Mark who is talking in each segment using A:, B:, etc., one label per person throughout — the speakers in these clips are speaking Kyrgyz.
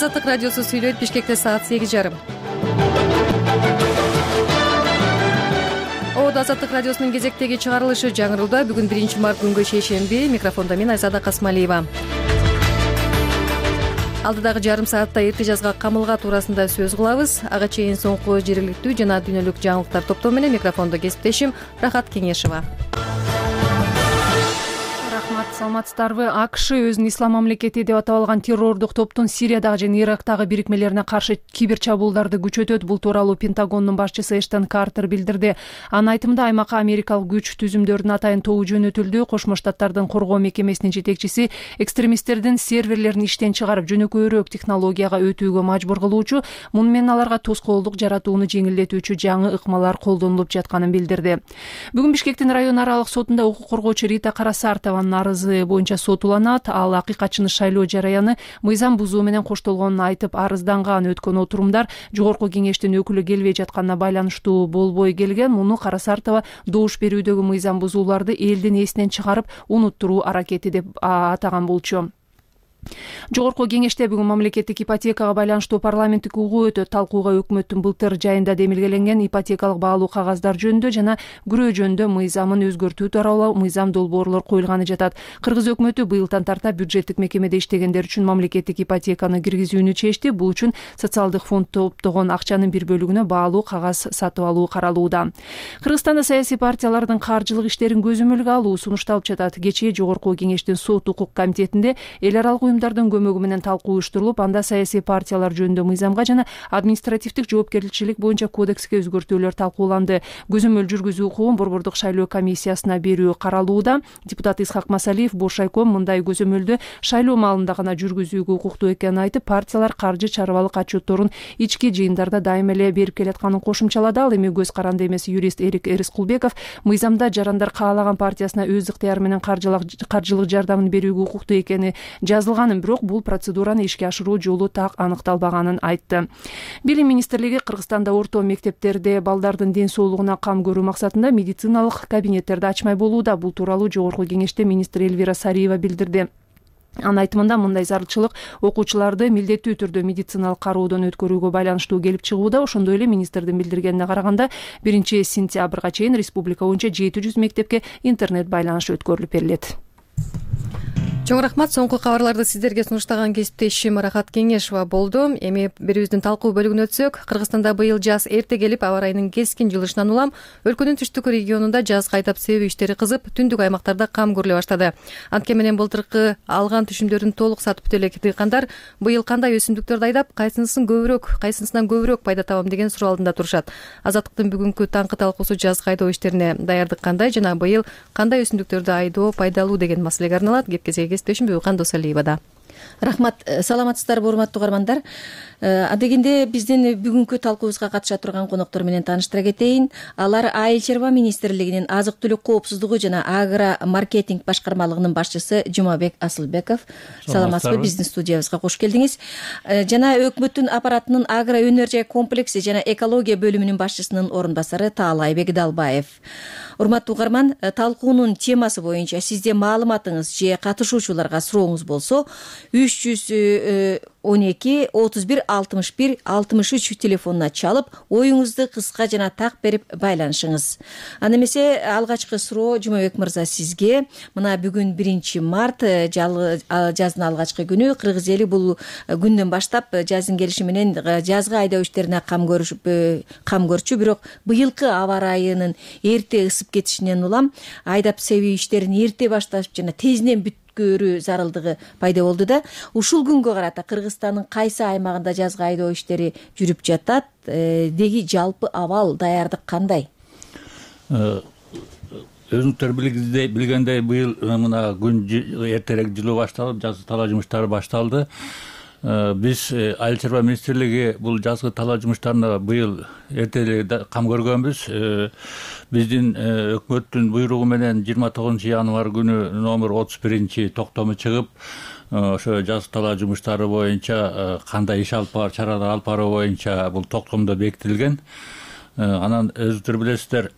A: Азаттык радиосу сүйлөйт. Бишкекте саат 8:30. Азаттык радиосунун кезектеги чыгарылышы жаңырылда. Бүгүн 1-март күнгө шейшемби. Микрофондо мен Айзада Касмалиева. Алдыдагы жарым саатта эрте жазга камылга туурасында сөз кылабыз. Ага чейин соңку жергиликтүү жана дүйнөлүк жаңылыктар топтому менен микрофондо кесиптешим Рахат Кеңешева.
B: Саламатсыздарбы? АКШ өзүнүн ислам мамлекети деп атап алган террордук топтун Сириядагы жана Ирактагы бирикмелерине каршы кибер чабуулдарды күчөтөт. Бул тууралуу Пентагондун башчысы Эштон Картер билдирди. Анын айтымында аймакка америкалык күч түзүмдөрдүн атайын тобу жөнөтүлдү. Кошмо Штаттардын коргоо мекемесинин жетекчиси экстремисттердин серверлерин иштен чыгарып жөнөкөйрөөк технологияга өтүүгө мажбур кылуучу, муну менен аларга тоскоолдук жаратууну жеңилдетүүчү жаңы ыкмалар колдонулуп жатканын билдирди. Бүгүн Бишкектин район аралык сотунда укук коргоочу Рита Карасартованын арызы боюнча сот уланат. Ал акыйкатчыны шайлоо жараяны мыйзам бузуу менен коштолгонун айтып арызданган. Өткөн отурумдар жогорку кеңештин өкүлү келбей жатканына байланыштуу болбой келген. Муну Карасартова добуш берүүдөгү мыйзам бузууларды элдин эсинен чыгарып унуттуруу аракети деп атаган болчу. Жогорку кеңеште бүгүн мамлекеттик ипотекага байланыштуу парламенттик угуу өтөт. Талкууга өкмөттүн былтыр жайында демилгеленген ипотекалык баалуу кагаздар жөнүндө жана күрөө жөнүндө мыйзамын өзгөртүү тууралуу мыйзам долбоорлор коюлганы жатат. Кыргыз өкмөтү быйылдан тарта бюджеттик мекемеде иштегендер үчүн мамлекеттик ипотеканы киргизүүнү чечти. Бул үчүн социалдык фонд топтогон акчанын бир бөлүгүнө баалуу кагаз сатып алуу каралууда. Кыргызстанда саясий партиялардын каржылык иштерин көзөмөлгө алуу сунушталып жатат. Кечээ жогорку кеңештин сот укук комитетинде эл аралык уюмдардын көмөгү менен талкуу уюштурулуп, анда саясий партиялар жөнүндө мыйзамга жана административдик жоопкерчилик боюнча кодекске өзгөртүүлөр талкууланды. Көзөмөл жүргүзүү укугун борбордук шайлоо комиссиясына берүү каралууда. Депутат Исхак Масалиев Бошайком мындай көзөмөлдү шайлоо маалында гана жүргүзүүгө укуктуу экенин айтып, партиялар каржы чарбалык отчетторун ички жыйындарда дайыма эле берип келатканын кошумчалады. Ал эми көз каранды эмес юрист Эрик Эрискулбеков мыйзамда жарандар каалаган партиясына өз ыктыяры менен каржылык жардамын берүүгө укуктуу экени жазылганын, бирок бул процедураны ишке ашыруу жолу так аныкталбаганын айтты. Билим министрлиги Кыргызстанда орто мектептерде балдардын ден соолугуна кам көрүү максатында медициналык кабинеттерди ачмай болууда. Бул тууралуу жогорку кеңеште министр Эльвира Сариева билдирди. Анын айтымында мындай зарылчылык окуучуларды милдеттүү түрдө медициналык кароодон өткөрүүгө байланыштуу келип чыгууда. Ошондой эле министрдин билдиргенине караганда 1-сентябрга чейин республика боюнча 700 мектепке интернет байланыш өткөрүлүп берилет.
A: Чоң рахмат. Соңку кабарларды сиздерге сунуштаган кесиптешим Рахат Кеңешева болду. Эми берүүбүздүн талкуу бөлүгүнө өтсөк, Кыргызстанда быйыл жаз эрте келип, аба ырайынын кескин жылышынан улам өлкөнүн түштүк регионунда жаз кайтап себүү иштери кызып, түндүк аймактарда кам көрүлө баштады. Анткени менен былтыркы алган түшүмдөрүн толук сатып бүтө элек дыйкандар быйыл кандай өсүмдүктөрдү айдап, кайсынысынан көбүрөөк пайда табам деген суроо алдында турушат. Азаттыктын бүгүнкү таңкы талкуусу жазгы айдоо иштерине даярдык кандай жана быйыл кандай өсүмдүктөрдү айдоо пайдалуу деген маселеге арналат. Кепкезе Бүйкан Досалиевада.
C: Рахмат. Саламатсыздарбы, урматтуу угармандар. Адегенде биздин бүгүнкү талкуубузга катыша турган коноктор менен тааныштыра кетейин. Алар Айыл чарба министрлигинин азык-түлүк коопсуздугу жана агро маркетинг башкармалыгынын башчысы Жумабек Асылбеков. Саламатсызбы, биздин студиябызга кош келдиңиз. Жана өкмөттүн аппаратынын агро өнөр жай комплекси жана экология бөлүмүнүн башчысынын орун басары Таалайбек Далбаев. Урматтуу угарман, талкуунун темасы боюнча сизде маалыматыңыз же катышуучуларга сурооңуз болсо 312 31 61 63 телефонуна чалып, оюңузду кыска жана так берип байланышыңыз. Аны эмесе алгачкы суроо Жумабек мырза сизге. Мына бүгүн 1-март, жаздын алгачкы күнү. Кыргыз эли бул күндөн баштап жаздын келиши менен жазгы айдоо иштерине кам көрчү, бирок быйылкы аба ырайынын эрте ысып кетишинен улам айдап себүү иштерин эрте башташып жана тезинен көрүү зарылдыгы пайда болду да. Ушул күнгө карата Кыргызстандын кайсы аймагында жазгы айдоо иштери жүрүп жатат? Деги жалпы абал, даярдык кандай?
D: Өзүңүздөр билгендей быйыл мына күн эртерээк жылуу башталып, жазгы талаа жумуштары башталды. Биз Айыл чарба министрлиги бул жазгы талаа жумуштарына быйыл эрте кам көргөнбүз. Биздин өкмөттүн буйругу менен 29 январь күнү номер 31 токтому чыгып, ошо жазгы талаа жумуштары боюнча кандай иш алып баруу, чаралар алып баруу боюнча бул токтомдо бекитилген. Анан өзүңүздөр билесиздер,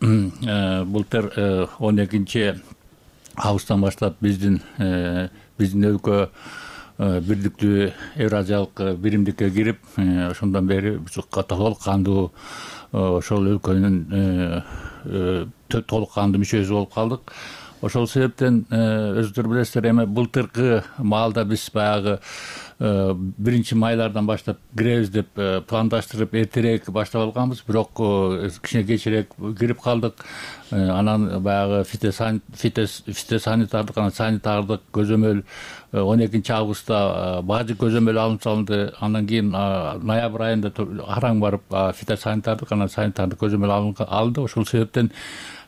D: былтыр 12 августтан баштап биздин өлкө бирдиктүү Евразиялык биримдикке кирип, ошондон бери толук кандуу ошол өлкөнүн толук кандуу мүчөсү болуп калдык. Ошол себептен өзүңүздөр билесиздер, эми былтыркы маалда биз баягы 1-майлардан баштап киребиз деп пландаштырып эртерээк баштап алганбыз, бирок кичине кечирээк кирип калдык. Анан баягы фитосанитардык, анан санитардык көзөмөл 12-августта бажы көзөмөл алынып салынды. Андан кийин ноябрь айында араң барып фитосанитардык, анан санитардык көзөмөл алынды. Ошол себептен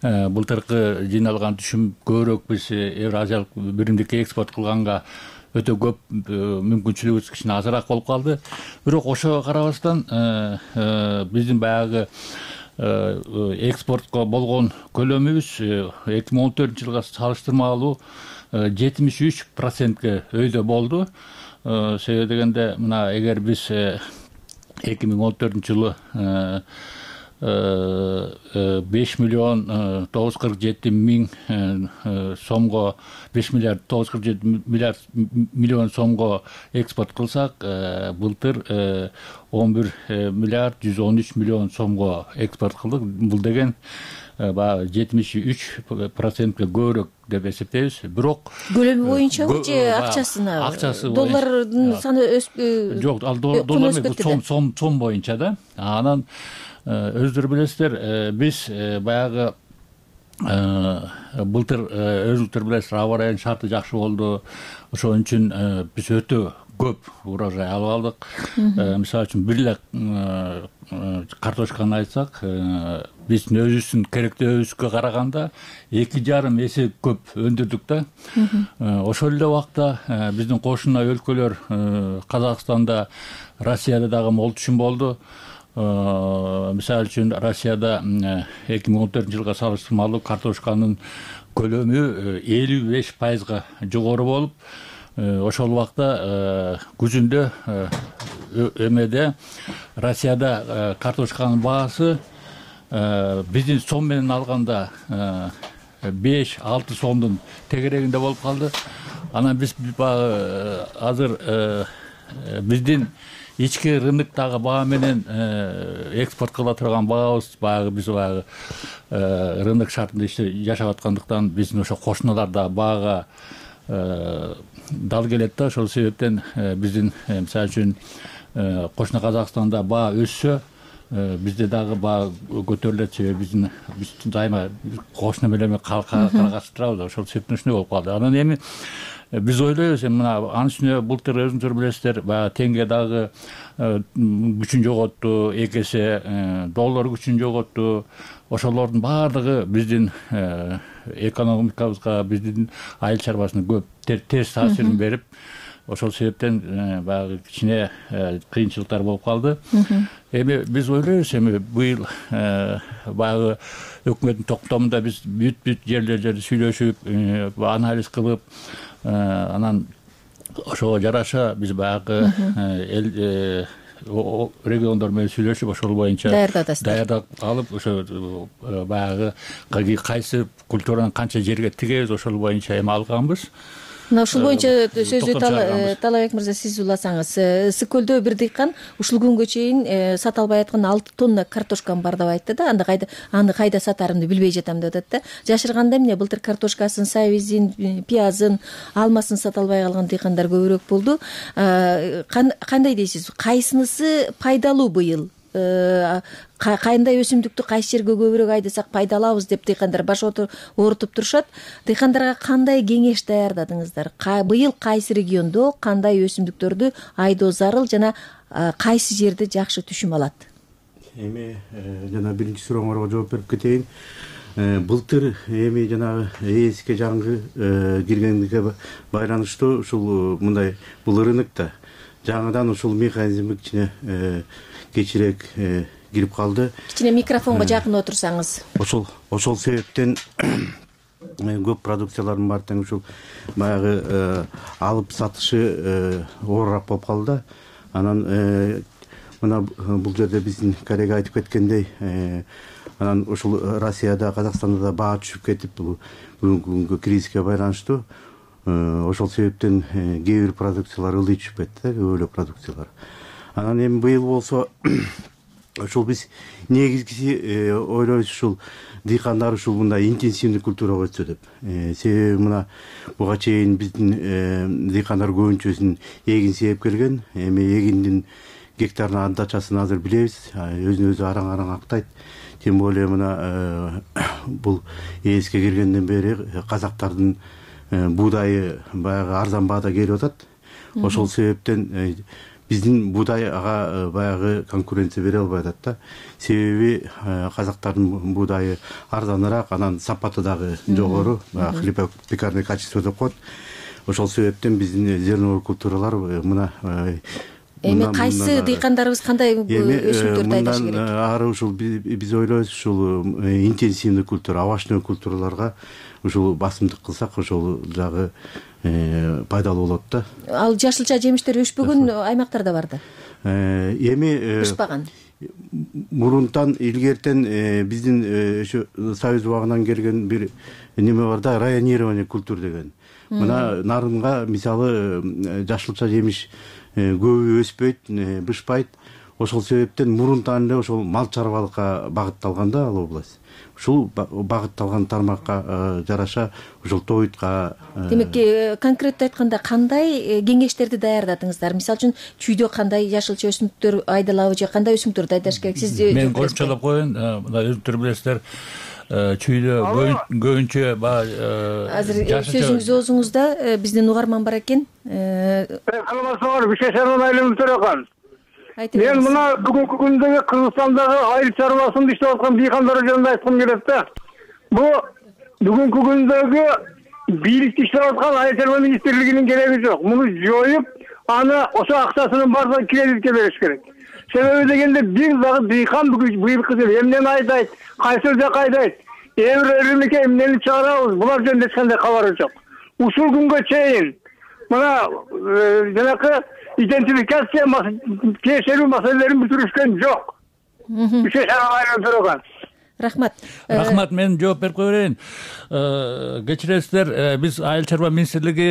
D: былтыркы жыйналган түшүм көбүрөөк биз Евразиялык биримдикке экспорт кылганга өтө көп мүмкүнчүлүгүбүз кичине азыраак болуп калды. Бирок ошого карабастан биздин баягы экспортко болгон көлөмүбүз 2014-жылга салыштырмалуу 73%ке өйдө болду. Себеби дегенде, мына эгер биз 2014-жылы 5.947.000 сомго 5.947 сомго экспорт кылсак, былтыр 11.113 сомго экспорт кылдык. Бул деген баягы 73%ке көбүрөөк деп эсептейбиз. Бирок
C: көлөмү боюнчабы же акчасына? Доллардын саны
D: жок, ал доллар эмес, сом боюнча да. Анан өзүңүздөр билесиздер, биз баягы былтыр өзүңүздөр билесиздер, аба ырайынын шарты жакшы болду. Ошон үчүн биз өтө көп урожай алып алдык. Мисалы үчүн бир эле картошканы айтсак, биздин өзүбүздүн керектөөбүзгө караганда 2,5 эсе көп өндүрдүк да. Ошол эле убакта биздин кошуна өлкөлөр Казакстанда, Россияда дагы мол түшүм болду. Мисалы үчүн Россияда 2014-жылга салыштырмалуу картошканын көлөмү 55%га жогору болуп, ошол убакта күзүндө эмеде Россияда картошканын баасы биздин сом менен алганда 5-6 сомдун тегерегинде болуп калды. Анан биз азыр биздин ички рыноктогу баа менен экспорт кыла турган баабыз, баягы биз рынок шартында жашап аткандыктан биздин ошо кошуналарда баага дал келет да. Ошол себептен биздин мисалы үчүн кошуна Казакстанда баа өссө, бизде дагы баа көтөрүлөт. Себеби биздин дайыма кошуна менен каргашып турабыз. Ошол себептен ушундай болуп калды. Анан эми биз ойлойбуз, мына анын үстүнө былтыр өзүңүздөр билесиздер, баягы теңге дагы күчүн жоготту, 2 эсе доллар күчүн жоготту. Ошолордун баардыгы биздин экономикабызга, биздин айыл чарбасына көп терс таасирин берип, ошол себептен баягы кичине кыйынчылыктар болуп калды. Эми биз ойлойбуз, эми быйыл баягы өкмөттүн токтомунда биз бүт жерлерди сүйлөшүп, анализ кылып, анан ошого жараша биз баягы региондор менен сүйлөшүп, ошол боюнча даярдап алып, ошо баягы кайсы культуранын канча жерге тигебиз, ошол боюнча эме алганбыз.
C: Мына ушул боюнча сөздү Талабек мырза сиз уласаңыз, Ысык көлдө бир дыйкан ушул күнгө чейин сата албай аткан 6 тонна картошкам бар деп айтты да. Аны кайда сатарымды билбей жатам деп атат да. Жашырганда эмне былтыр картошкасын, сабизин, пиязын, алмасын сата албай калган дыйкандар көбүрөөк болду. Кандай дейсиз? Кайсынысы пайдалуу быйыл? Кандай өсүмдүктү кайсы жерге көбүрөөк айдасак пайда алабыз деп дыйкандар баш оорутуп турушат. Дыйкандарга кандай кеңеш даярдадыңыздар? Быйыл кайсы региондо кандай өсүмдүктөрдү айдоо зарыл жана кайсы жерде жакшы түшүм алат?
E: Эми жана биринчи сурооңорго жооп берип кетейин. Былтыр эми жанагы ээске жаңгы киргендиге байланыштуу ушул мындай бул рынокто жаңыдан ушул механизм кичине кечирээк кирип калды.
C: Кичине микрофонго жакын отурсаңыз.
E: Ошол себептен көп продукциялардын баары тең ушул баягы алып сатышы оорураак болуп калды. Анан мына бул жерде биздин коллега айтып кеткендей, анан ушул Россияда, Казакстанда да баа түшүп кетип, бүгүнкү күнгө кризиске байланыштуу ошол себептен кээ бир продукциялар ылдый түшпөйт да, көп эле продукциялар. Анан эми быйыл болсо ошол биз негизгиси ойлойбуз ушул дыйкандар ушул мындай интенсивный культурага өтсө деп. Себеби мына буга чейин биздин дыйкандар көбүнчөсүн эгин себеп келген. Эми эгиндин гектарына отдачасын азыр билебиз, өзүн өзү араң актайт. Тем более мына бул ээске киргенден бери казактардын буудайы баягы арзан баада келип атат. Ошол себептен биздин буудай ага баягы конкуренция бере албай атат да. Себеби казактардын буудайы арзаныраак, анан сапаты дагы жогору, хлебопекарный качество деп коет. Ошол себептен биздин зерновой культуралар мына
C: эми кайсы дыйкандарыбыз кандай өсүмдөрдү айдашы керек?
E: Ары ушул биз ойлойбуз ушул интенсивный культура, овощной культураларга ушул басымдык кылсак ошол жагы пайдалуу болот да.
C: Ал жашылча жемиштер өспөгөн аймактар да бар да.
E: Эми
C: өспаган.
E: Мурунтан илгертен биздин ошо Союз убагынан келген бир неме бар да, районирование культур деген. Мына нарынга мисалы жашылча жемиш көбү өспөйт, бышпайт. Ошол себептен мурунтан эле ошол мал чарбалыкка багытталган да ал область. Ушул багытталган тармакка жараша ушул тойтка.
C: Демек, конкреттүү айтканда кандай кеңештерди даярдадыңыздар? Мисалы үчүн чүйдө кандай жашылча өсүмдүктөр айдалабы же кандай өсүмдүктөрдү айдаш керек? Сиз
D: мен кошумчалап коеюн, мына өзүңүздөр билесиздер, чүйдө көбүнчө
C: азыр сөзүңүз оозуңузда биздин угарман бар экен.
F: Саламатсызбы, Бишкек айылынын төрөкан. Мен
C: Мен
F: мына бүгүнкү күндөгү Кыргызстандагы айыл чарбасында иштеп аткан дыйкандар жөнүндө айткым келет да. Бу бүгүнкү күндөгү бийликте иштеп аткан айыл чарба министрлигинин кереги жок. Муну жоюп, аны ошо акчасынын баардыгын кредитке бериш керек. Себеби дегенде бир дагы дыйкан быйылкы жыл эмнени айдайт, кайсы жака айдайт, рынокко эмнени чыгарабыз, булар жөнүндө эч кандай кабары жок. Ушул күнгө чейин мына жанакы идентификация тиешелүү маселелерин бүтүрүшкөн жок. Бишкек айылын төрөгөн.
C: Рахмат,
D: мен жооп берип кое берейин. Кечиресиздер, биз айыл чарба министрлиги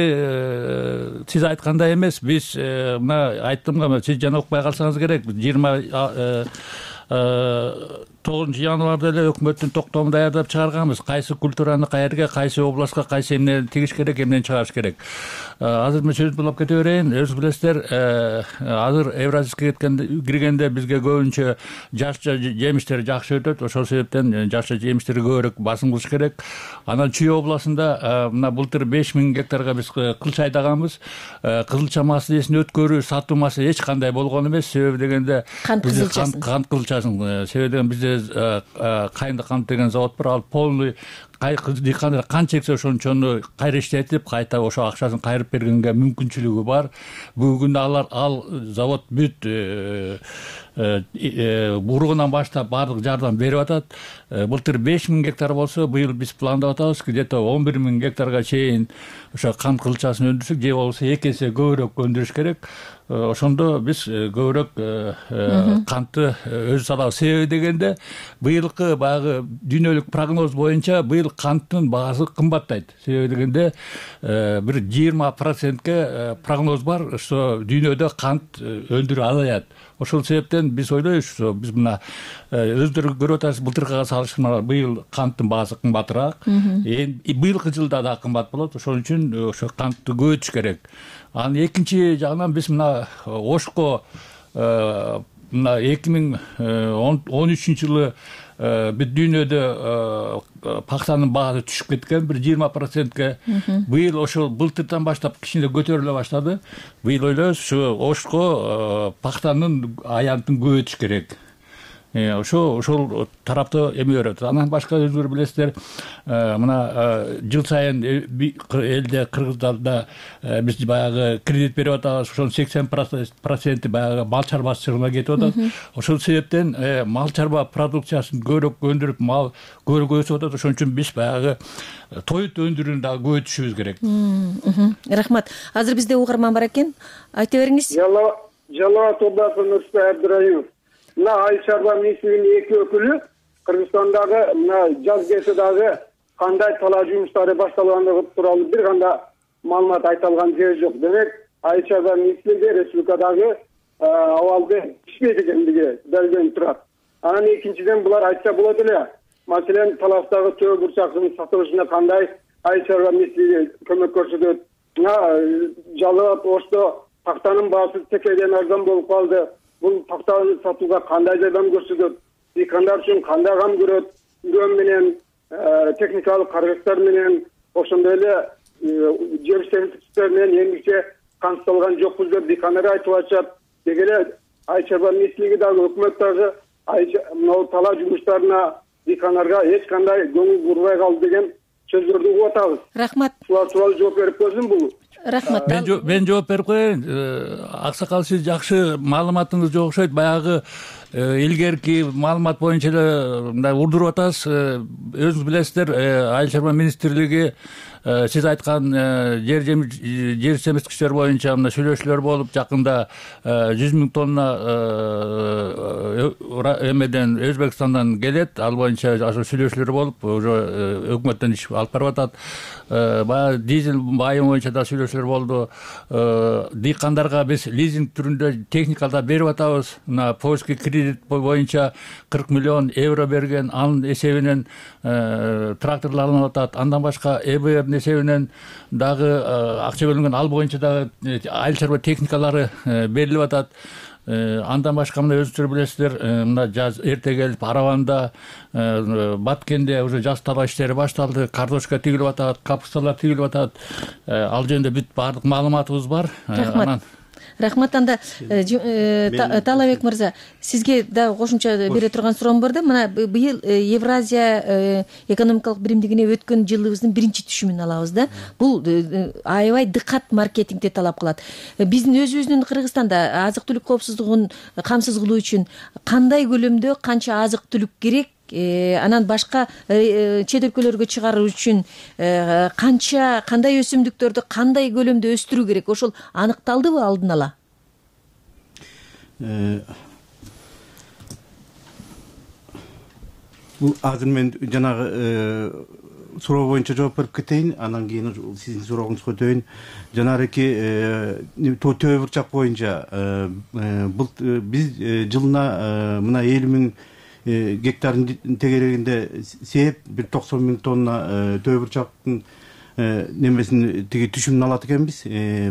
D: сиз айткандай эмес. Биз мына айттым, сиз жана укпай калсаңыз керек. 29 январда эле өкмөттүн токтомун даярдап чыгарганбыз. Кайсы культураны каерге, кайсы областка, кайсы эмнени тигиш керек, эмнени чыгарыш керек. Азыр мен сөзүмдү улап кете берейин. Өзүңүз билесиздер, азыр Евразийскке киргенде бизге көбүнчө жашылча жемиштер жакшы өтөт. Ошол себептен жашылча жемиштерге көбүрөөк басым кылыш керек. Анан Чүй областында мына былтыр 5000 гектарга биз кылча айдаганбыз. Кызылча маселесин өткөрүү, сатуу маселеси эч кандай болгон эмес. Себеби дегенде
C: кант
D: кызылчасын, себеби деген бизде кайынды кант деген завод бар, ал полный дыйкандар канча эксе ошончону кайра иштетип, кайта ошо акчасын кайрып бергенге мүмкүнчүлүгү бар. Бүгүнкү күндө ал завод бүт уругунан баштап баардык жардам берип атат. Былтыр 5000 гектар болсо, быйыл биз пландап атабыз, где-то 11000 гектарга чейин ошо кант кылчасын өндүрсөк, же болбосо 2 эсе көбүрөөк өндүрүш керек. Ошондо биз көбүрөөк кантты өзүбүз алабыз. Себеби дегенде быйылкы баягы дүйнөлүк прогноз боюнча быйыл канттын баасы кымбаттайт. Себеби дегенде бир 20%ке прогноз бар, что дүйнөдө кант өндүрүү азаят. Ошол себептен биз ойлойбуз, биз мына өздөрү көрүп атасыз, былтыркыга салыштырмалуу быйыл канттын баасы кымбатыраак. Быйылкы жылда да кымбат болот. Ошол үчүн ошо кантты көбөйтүш керек. Анан экинчи жагынан биз мына Ошко мына 2013 жылы бүт дүйнөдө пахтанын баасы түшүп кеткен, бир 20%ке. Быйыл ошол былтырдан баштап кичине көтөрүлө баштады. Быйыл ойлойбуз, ушу Ошко пахтанын аянтын көбөйтүш керек. Ошол тарапта эме өрөт. Анан башка өзүңөр билесиздер, мына жыл сайын элде Кыргыздарда биз баягы кредит берип атабыз. Ошонун 80% баягы мал чарбачылыгына кетип атат. Ошол себептен мал чарба продукциясын көбүрөөк өндүрүп, мал көбүрөөк өсүп атат. Ошон үчүн биз баягы тоют өндүрүүнү дагы көбөйтүшүбүз керек.
C: Рахмат. Азыр бизде угарман бар экен. Айта бериңиз.
F: Жалалат областынын Нурсултан Абдыраимов. Мына айыл чарба министрлигинин 2 өкүлү Кыргызстандагы мына жаз кези дагы кандай талаа жумуштары башталгандыгы тууралуу бир кандай
G: маалымат айта алган жери жок. Демек Айыл чарба министрлиги республикадагы абалды ишпейт экендиги белгиленип турат. Анан экинчиден булар айтса болот эле. Маселен Таластагы төө бурчактын сатылышына кандай Айыл чарба министрлиги көмөк көрсөтөт. Жалал Ошто тактанын баасы текеден арзан болуп калды. Бул тактаны сатууга кандай жардам көрсөтөт? Дыйкандар үчүн кандай кам көрөт? Үрөм менен, техникалык каражаттар менен, ошондой эле жер сервистер менен эмгиче камсыздалган жокпуз деп дыйкандар айтып атышат. Деги эле Айыл чарба министрлиги дагы өкмөт дагы мына талаа жумуштарына дыйкандарга эч кандай көңүл бурбай калды деген сөздөрдү угуп атабыз.
C: Рахмат.
G: Булар тууралуу жооп берип койсун бул.
C: Рахмат.
D: Мен жооп берип коеюн. Аксакал, сиз жакшы маалыматыңыз жок окшойт. Баягы илгерки маалымат боюнча эле мындай урдуруп атасыз. Өзүңүз билесиздер, Айыл чарба министрлиги сиз айткан жер семирткичтер боюнча мына сүйлөшүүлөр болуп, жакында 100 000 тонна эмеден Өзбекстандан келет. Ал боюнча сүйлөшүүлөр болуп, уже өкмөттөн иш алып барып атат. Баягы дизель байымы боюнча да сүйлөшүүлөр болду. Дыйкандарга биз лизинг түрүндө техника да берип атабыз. Мына польский кредит боюнча 40 миллион евро берген, анын эсебинен тракторлор алынып атат. Андан башка ЭБР эсебинен дагы акча бөлүнгөн, ал боюнча дагы айыл чарба техникалары берилип атат. Андан башка мына өзүңүздөр билесиздер, мына жаз эрте келип, Араванда, Баткенде уже жаз талаа иштери башталды. Картошка тигилип атат, капусталар тигилип атат. Ал жөнүндө бүт баардык маалыматыбыз бар.
C: Рахмат. Анда Талабек мырза, сизге да кошумча бере турган суроом бар да. Мына быйыл Евразия экономикалык биримдигине өткөн жылыбыздын биринчи түшүмүн алабыз да. Бул аябай дыкат маркетингди талап кылат. Биздин өзүбүздүн Кыргызстанда азык түлүк коопсуздугун камсыз кылуу үчүн кандай көлөмдө канча азык түлүк керек? Анан башка чет өлкөлөргө чыгаруу үчүн кандай өсүмдүктөрдү кандай көлөмдө өстүрүү керек? Ошол аныкталдыбы алдын ала?
E: Бул азыр мен жанагы суроо боюнча жооп берип кетейин, анан кийин сиздин сурооңузга өтөйүн. Жанагы төө бурчак боюнча биз жылына мына 50 000 гектардын тегерегинде сээп 90 000 тонна төө бурчактын немесин тиги түшүмүн алат экенбиз.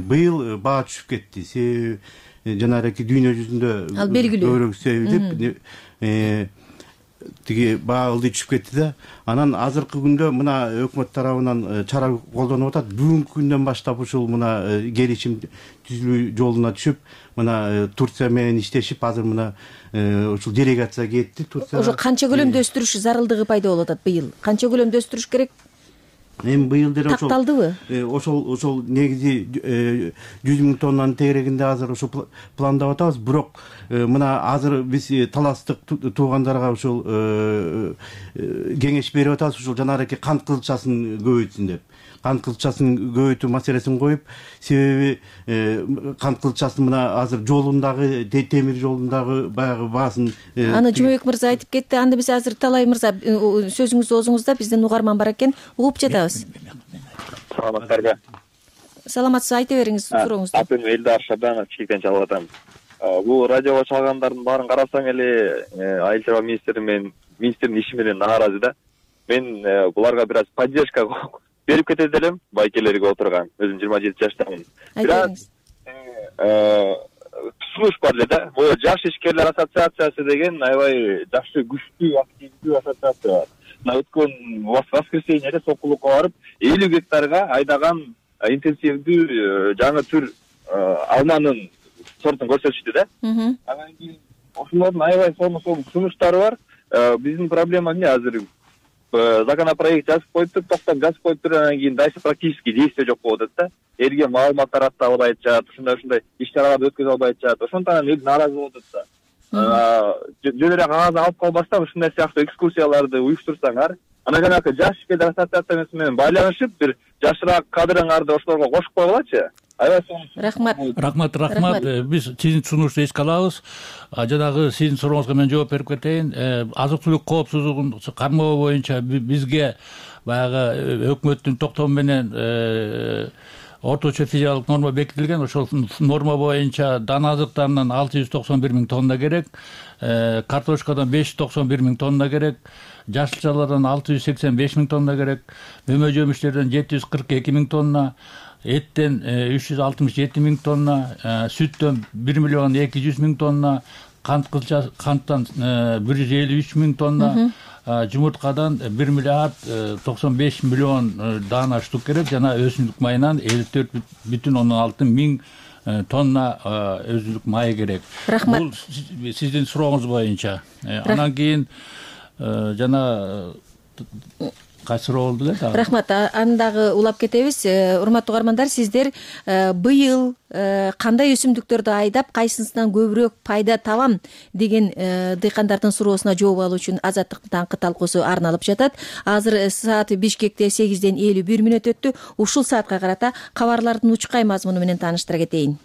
E: Быйыл баа түшүп кетти. Себеби жанагы дүйнө жүзүндө
C: ал белгилүү
E: көбүрөөк себеп тиги баа ылдый түшүп кетти да. Анан азыркы күндө мына өкмөт тарабынан чара колдонуп атат. Бүгүнкү күндөн баштап ушул мына келишим түзүлүү жолуна түшүп, мына Турция менен иштешип, азыр мына ушул делегация кетти. Турция
C: ошо канча көлөмдө өстүрүш зарылдыгы пайда болуп атат быйыл? Канча көлөмдө өстүрүш керек?
E: Эми быйыл деле
C: такталдыбы?
E: Ошол негизи 100 000 тоннанын тегерегинде азыр ошо пландап атабыз. Бирок мына азыр биз таластык туугандарга ушул кеңеш берип атабыз, ушул жанагы кант кызылчасын көбөйтсүн деп. Кант кызылчасын көбөйтүү маселесин коюп, себеби кант кызылчасын мына азыр жолундагы, темир жолундагы баягы баасын
C: аны Жумабек мырза айтып кетти. Анда биз азыр Талай мырза сөзүңүз оозуңузда, биздин угарман бар экен, угуп жатабыз.
H: Саламатсыздарбы?
C: Саламатсыз, айта бериңиз сурооңузду.
H: Атым Элдар Шабанов, Чикектен чалып атам. Бул радиого чалгандардын баарын карасаң эле айыл чарба министрдин иши менен нааразы да. Мен буларга бир аз поддержка берип кетет элем, байкелерге отурган. Өзүм 27 жаштамын. Бирок тусунуш бар эле да. Бул жаш ишкерлер ассоциациясы деген аябай жакшы, күчтүү, активдүү ассоциация бар. Мына өткөн воскресеньеде Сокулукка барып 50 гектарга айдаган интенсивдүү жаңы түр алманын сортун көрсөтүштү да. Анан кийин ошолордун аябай сонун сунуштары бар. Биздин проблема эмне азыр? Законопроект жазып коюптур, токтом жазып коюптур, анан кийин дальше практически действие жок болуп атат да. Элге маалымат тарата албай атышат, ушундай иш-чараларды өткөзө албай атышат. Ошондон эл нааразы болуп атат да. Жөн эле кагаз алып калбастан ушундай сыяктуу экскурсияларды уюштурсаңар, анан жанагы жаш ишкерлер ассоциациясы менен байланышып, бир жашыраак кадрыңарды ошолорго кошуп койгулачы.
C: Рахмат.
D: Биз сиздин сунушту эске алабыз. Жанагы сиздин сурооңузга мен жооп берип кетейин. Азык түлүк коопсуздугун кармоо боюнча бизге баягы өкмөттүн токтому менен орточо физиологдук норма бекитилген. Ошол норма боюнча дана азыктарынан 691 миң тонна керек, картошкадан 591 миң тонна керек, жашылчалардан 685 миң тонна керек, мөмө жемиштерден 742 миң тонна, эттен 367 миң тонна, сүттөн 1 миллион 200 миң тонна, канттан 153 миң тонна, жумурткадан 1 миллиард 95 миллион даана штук керек, жана өсүмдүк майынан 54,6 миң тонна өсүмдүк майы керек.
C: Рахмат.
D: Бул сиздин сурооңуз боюнча. Анан кийин жана кайсы суроо болду эле?
C: Рахмат. Аны дагы улап кетебиз. Урматтуу угармандар, сиздер быйыл кандай өсүмдүктөрдү айдап, кайсысынан көбүрөөк пайда табам деген дыйкандардын суроосуна жооп алуу үчүн Азаттыктын таңкы талкуусу арналып жатат. Азыр саат Бишкекте 8:51 өттү. Ушул саатка карата кабарлардын учкай мазмуну менен тааныштыра кетейин.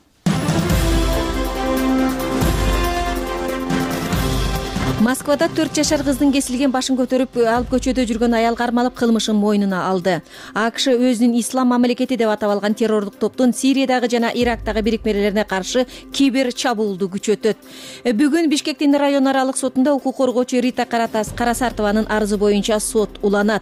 C: Москвада 4 жашар кыздын кесилген башын көтөрүп алып көчөдө жүргөн аял кармалып, кылмышын мойнуна алды. АКШ өзүнүн ислам мамлекети деп атап алган террордук топтун Сириядагы жана Ирактагы бирикмелерине каршы кибер чабуулду күчөтөт. Бүгүн Бишкектин район аралык сотунда укук коргоочу Рита Карасартованын арызы боюнча сот уланат.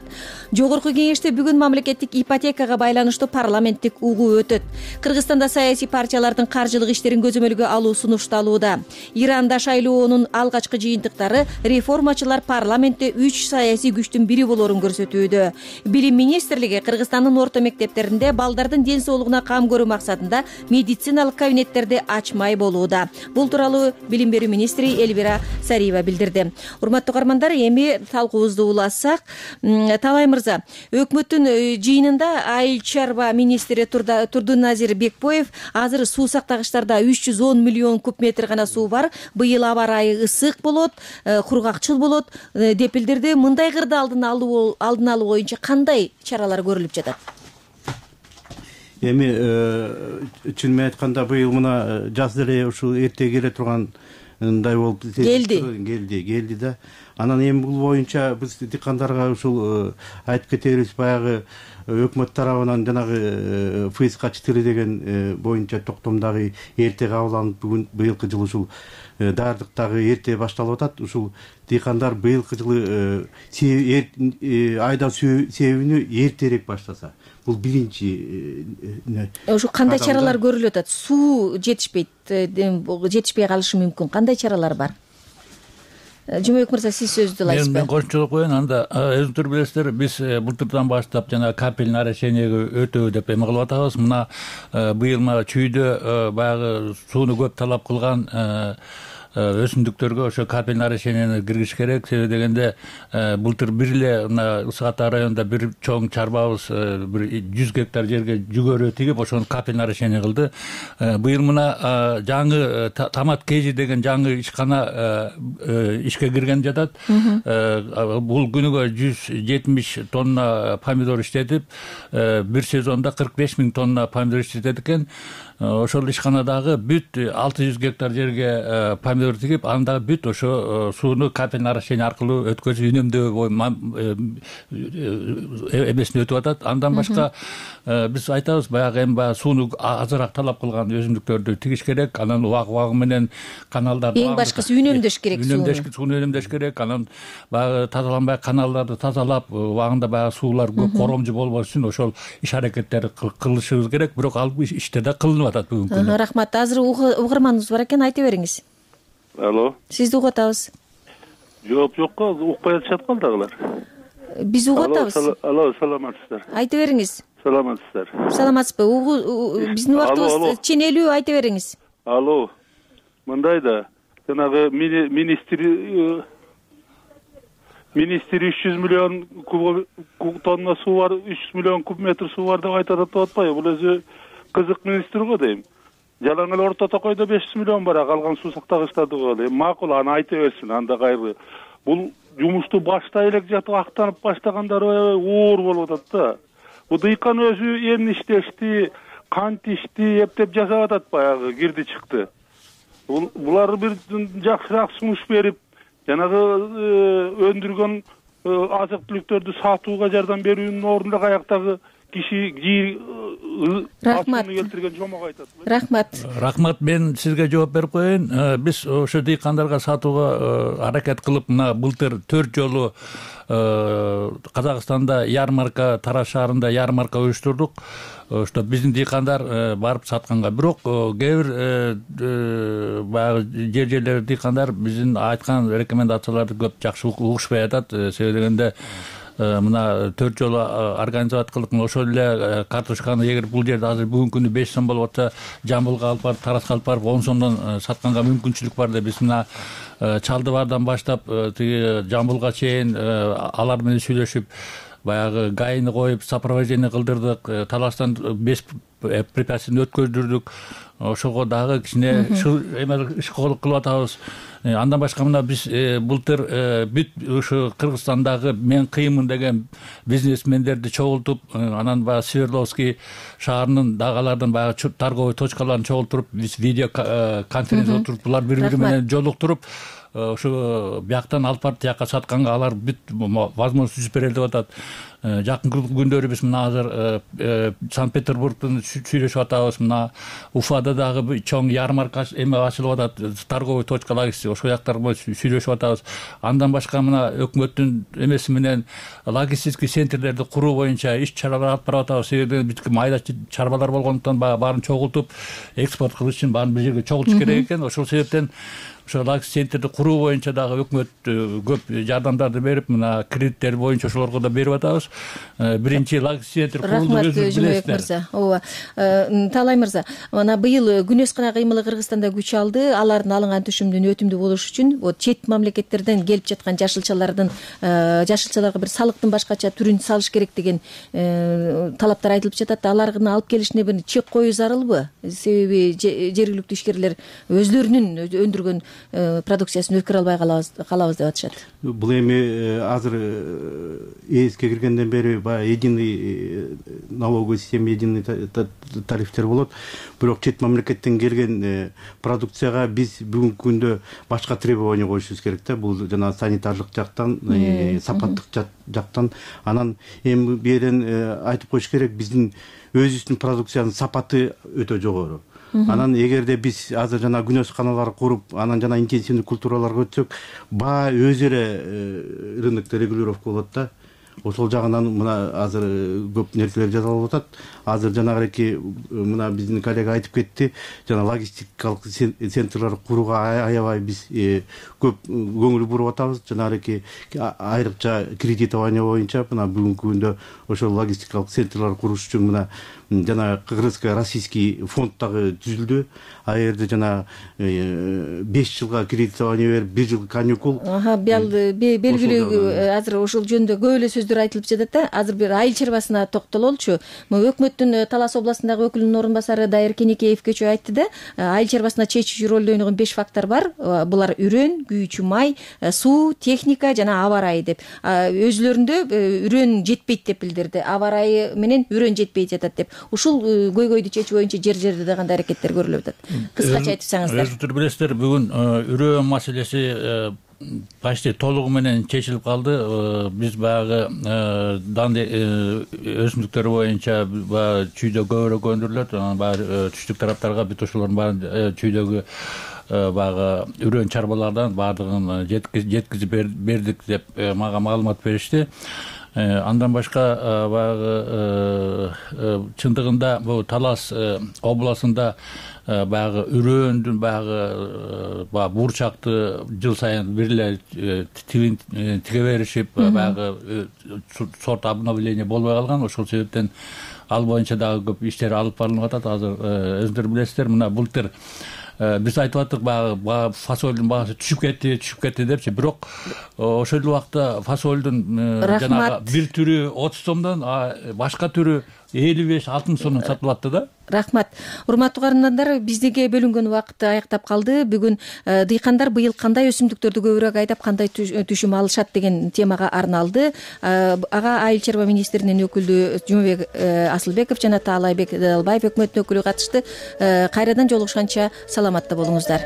C: Жогорку кеңеште бүгүн мамлекеттик ипотекага байланыштуу парламенттик угуу өтөт. Кыргызстанда саясий партиялардын каржылык иштерин көзөмөлгө алуу сунушталууда. Иранда шайлоонун алгачкы жыйынтыктары реформачылар парламентте 3 саясий күчтүн бири болорун көрсөтүүдө. Билим министрлиги Кыргызстандын орто мектептеринде балдардын ден соолугуна кам көрүү максатында медициналык кабинеттерди ачмай болууда. Бул тууралуу билим берүү министри Элвира Сариева билдирди. Урматтуу угармандар, эми талкуубузду улассак, Талай мырза, өкмөттүн жыйынында айыл чарба министри Турдуназир Бекбоев азыр суу сактагычтарда 310 миллион куб метр гана суу бар, быйыл аба ырайы ысык болот, кургакчыл болот деп билдирди. Мындай кырды алдын алуу боюнча кандай чаралар көрүлүп жатат?
E: Эми чын айтканда быйыл мына жаз деле ушул эрте келе тургандай болуп келди да. Анан эми бул боюнча биз дыйкандарга ушул айтып кетебиз, баягы өкмөт тарабынан жанагы ФСК 4 деген боюнча токтом дагы эрте кабыл алынып, бүгүн быйылкы жыл ушул даярдык дагы эрте башталып атат. Ушул дыйкандар быйылкы жылы айда себебини эртерээк баштаса, бул биринчи.
C: Ошо кандай чаралар көрүлүп атат? Суу жетишпей калышы мүмкүн. Кандай чаралар бар? Жумабек мырза, сиз сөздү аласызбы?
D: Мен кошумчолук коеюн. Анда өзүңүздөр билесиздер, биз былтырдан баштап жана капель нарушениеге өтөө деп эме кылып атабыз. Мына быйыл чүйдө баягы сууну көп талап кылган өсүмдүктөргө ошо капель нарушениени киргизиш керек. Себеби дегенде былтыр бир эле мына Ысык Ата районунда бир чоң чарбабыз бир 100 гектар жерге жүгөрү тигип, ошону капель нарушение кылды. Быйыл мына жаңы Томат Кежи деген жаңы ишкана ишке кирген жатат. Бул күнүгө 170 тонна помидор иштетип, бир сезонда 45 миң тонна помидор иштетет экен. Ошол ишканадагы бүт 600 гектар жерге помидор тигип, андагы бүт ошо сууну капель нарушение аркылуу өткөзүп, үнөмдөө эмесине өтүп атат. Андан башка биз айтабыз, баягы эми сууну азыраак талап кылган өсүмдүктөрдү тигиш керек. Анан убагы менен каналдарды
C: эң башкысы үнөмдөш керек,
D: сууну үнөмдөш керек. Анан баягы тазаланбай каналдарды тазалап, убагында баягы суулар көп коромжу болбош үчүн ошол иш аракеттерди кылышыбыз керек. Бирок ал иштер да кылынып атат бүгүнкү күндө.
C: Рахмат. Азыр угарманыбыз бар экен, айта бериңиз.
I: Алло.
C: Сизди угуп атабыз.
I: Жок, укпай атышат калдыгылар.
C: Биз угуп атабыз.
I: Алло, саламатсыздар.
C: Айта бериңиз.
I: Саламатсыздар.
C: Саламатсызбы? Биздин убактыбыз ченелүү, айта бериңиз.
I: Алло. Мындай да, жанагы министр 300 миллион тонна суу бар, 300 миллион куб метр суу бар деп айтып атпайбы? Бул өзү кызык министр го дейм. Жалаң эле орто токойдо 500 миллион бар, калган суу сактагычтарды коелу. Макул, аны айта берсин, анда кайры. Бул жумушту баштай элек жатып актанып баштагандар оор болуп атат да. Бу дыйкан өзү эмне иштешти, кант ишти, эптеп жасап атат, баягы кирди чыкты. Булар бир жакшыраак сунуш берип, жанагы өндүргөн азык түлүктөрдү сатууга жардам берүүнүн ордуна каяктагы киши
C: рахмат
I: келтирген жомок айтат.
D: Рахмат, мен сизге жооп берип коеюн. Биз ошо дыйкандарга сатууга аракет кылып, мына былтыр 4 жолу Казакстанда ярмарка, Тараз шаарында ярмарка уюштурдук. Ошто биздин дыйкандар барып сатканга, бирок кээ бир баягы жерлер дыйкандар биздин айткан рекомендацияларды көп жакшы угушпай атат. Себеби дегенде мына 4 жолу организовать кылып, ошол эле картошканы эгер бул жерде азыр бүгүнкү күндө 5 сом болуп атса, Жамбылга алып барып, Таразга алып барып 10 сомдон сатканга мүмкүнчүлүк бар деп биз мына Чалдыбардан баштап тиги Жамбылга чейин алар менен сүйлөшүп, баягы гайны коюп, сопровождение кылдырдык, Таластан 5 препятствияны өткөздүрдүк. Ошого дагы кичине ишколук кылып атабыз. Андан башка мына биз былтыр бүт ушу Кыргызстандагы мен кыйынмын деген бизнесмендерди чогултуп, анан баягы Свердловский шаарынын дагы алардын баягы торговый точкаларын чогултуруп, биз видео конференция отуруп, булар бири-бири менен жолуктуруп, ошо бияктан алып барып тияка сатканга алар бүт возможность түзүп берели деп атат. Жакынкы күндөрү биз мына азыр Санкт-Петербургтун сүйлөшүп атабыз. Мына Уфада дагы чоң ярмарка ачылып атат, торговый точкалар, ошол жактар менен сүйлөшүп атабыз. Андан башка мына өкмөттүн эмеси менен логистический центрлерди куруу боюнча иш чаралар алып барып атабыз. Себеби бизге майда чарбалар болгондуктан баарын чогултуп, экспорт кылыш үчүн баарын бир жерге чогултуш керек экен. Ошол себептен ошо логистик центрди куруу боюнча дагы өкмөт көп жардамдарды берип, мына кредиттер боюнча ошолорго да берип атабыз. Биринчи логистик центр курулду, өзүңүз билесиздер.
C: Ооба. Таалай мырза, мына быйыл күнөс кана кыймылы Кыргызстанда күч алды. Алардын алынган түшүмдүн өтүмдүү болушу үчүн чет мамлекеттерден келип жаткан жашылчаларга бир салыктын башкача түрүн салыш керек деген талаптар айтылып жатат. Алардын алып келишине бир чек коюу зарылбы? Себеби жергиликтүү ишкерлер өзлөрүнүн өндүргөн продукциясын өткөрө албай калабыз деп атышат.
E: Бул эми азыр ЭСке киргенден бери баягы единый налоговый система, единый тарифтер болот. Бирок чет мамлекеттен келген продукцияга биз бүгүнкү күндө башка требование коюшубуз керек да. Бул жана санитардык жактан, сапаттык жактан. Анан эми бу жерден айтып коюш керек, биздин өзүбүздүн продукциянын сапаты өтө жогору. Анан эгерде биз азыр жана күнөс каналары куруп, анан жана интенсивдүү культураларга өтсөк, баа өзү эле рынокто регулировка болот да. Ошол жагынан мына азыр көп нерселер жасалып атат. Азыр жанагы мына биздин коллега айтып кетти, жана логистикалык центрлер курууга аябай биз көп көңүл буруп атабыз. Жанагы айрыкча кредитование боюнча мына бүгүнкү күндө ошол логистикалык центрлер куруш үчүн мына жана кыргызско-российский фонд дагы түзүлдү. А жерде жана 5 жылга кредитование берип, 1 жыл каникул. Белгилүү
C: азыр ошол жөнүндө көп эле сөздөр айтылып жатат да. Азыр бир айыл чарбасына токтололчу. Өкмөттүн Талас областындагы өкүлүнүн орун басары Дайыр Кенекеев кечээ айтты да. Айыл чарбасына чечүүчү ролду ойногон 5 фактор бар. Булар үрөн, күйүүчү май, суу, техника жана аба ырайы деп. Өзүлөрүндө үрөн жетпейт деп билдирди. Аба ырайы менен үрөн жетпей жатат деп. Ушул көйгөйдү чечүү боюнча жер-жерде да кандай аракеттер көрүлүп атат? Кыскача айтсаңыздар.
D: Өзүңүздөр билесиздер, бүгүн үрөө маселеси почти толугу менен чечилип калды. Биз баягы данды өсүмдүктөр боюнча баягы чүйдө көбүрөөк өндүрүлөт. Анан баягы түштүк тараптарга бүт ошолордун баарын чүйдөгү баягы үрөн чарбалардан баардыгын жеткизип бердик деп мага маалымат беришти. Андан башка баягы чындыгында бул Талас областында баягы үрөөндүн баягы бурчакты жыл сайын бир эле тиге беришип, баягы сорт обновление болбой калган. Ошол себептен ал боюнча дагы көп иштер алып барылып атат. Азыр өзүңүздөр билесиздер, мына былтыр биз айтып аттык, баягы фасолдун баасы түшүп кетти депчи. Бирок ошол убакта фасолдун жанагы бир түрү 30 сомдон, башка түрү 55-60 сомдон сатылып атты да.
C: Рахмат. Урматтуу каармандар, биздиге бөлүнгөн убакыт аяктап калды. Бүгүн дыйкандар быйыл кандай өсүмдүктөрдү көбүрөөк айдап, кандай түшүм алышат деген темага арналды. Ага Айыл чарба министринин өкүлү Жумабек Асылбеков жана Таалайбек Далбаев өкмөттүн өкүлү катышты. Кайрадан жолугушканча саламатта болуңуздар.